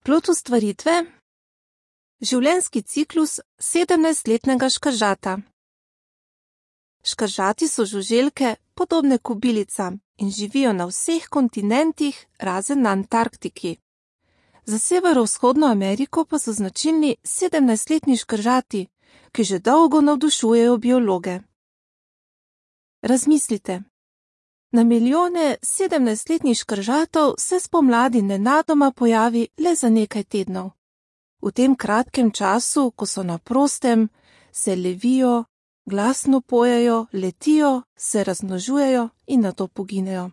Plod ustvaritve? Življenjski ciklus 17-letnega škaržata. Škaržati so žuželke, podobne kobilicam, in živijo na vseh kontinentih, razen na Antarktiki. Za severovzhodno Ameriko pa so značilni 17-letni škaržati, ki že dolgo navdušujejo biologe. Razmislite. Na milijone 17-letnih škaržatov se spomladi nenadoma pojavi le za nekaj tednov. V tem kratkem času, ko so na prostem, se levijo, glasno pojejo, letijo, se razmnožujejo in nato poginejo.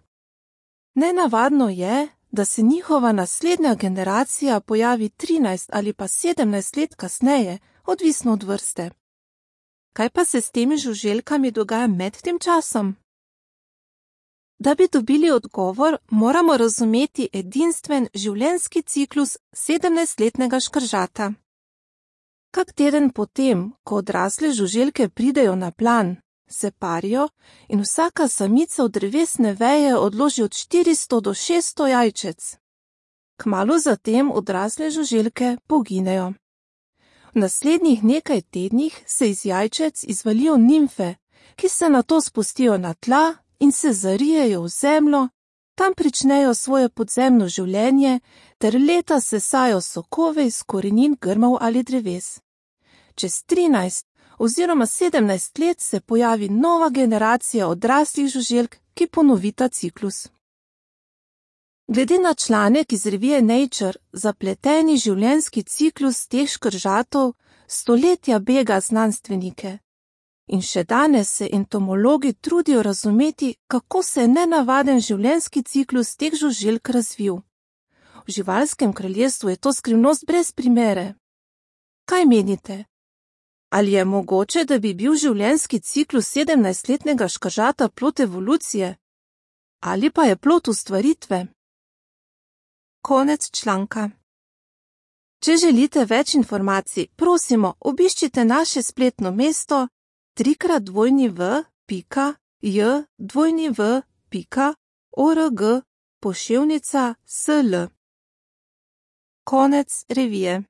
Nenavadno je, da se njihova naslednja generacija pojavi 13 ali pa 17 let kasneje, odvisno od vrste. Kaj pa se s temi žuželkami dogaja med tem časom? Da bi dobili odgovor, moramo razumeti edinstven življenjski ciklus 17-letnega škaržata. Kak teden potem, ko odrasle žuželke pridejo na plan, se parijo in vsaka samica od drevesne veje odloži od 400 do 600 jajčec. Kmalu zatem odrasle žuželke poginejo. V naslednjih nekaj tednih se iz jajčec izvalijo nimfe, ki se nato spustijo na tla in se zarijejo v zemljo, tam pričnejo svoje podzemno življenje ter leta sesajo sokove iz korenin grmov ali dreves. Čez 13 oziroma 17 let se pojavi nova generacija odraslih žuželk, ki ponovita ciklus. Glede na članek iz revije Nature, zapleteni življenjski ciklus teh škaržatov stoletja bega znanstvenike. In še danes se entomologi trudijo razumeti, kako se je nenavaden življenjski ciklus teh žuželk razvil. V živalskem kraljestvu je to skrivnost brez primere. Kaj menite? Ali je mogoče, da bi bil življenjski ciklus 17-letnega škaržata plod evolucije? Ali pa je plod ustvaritve? Konec članka. Če želite več informacij, prosimo, obiščite naše spletno mesto www.jw.org/sl. Konec revije.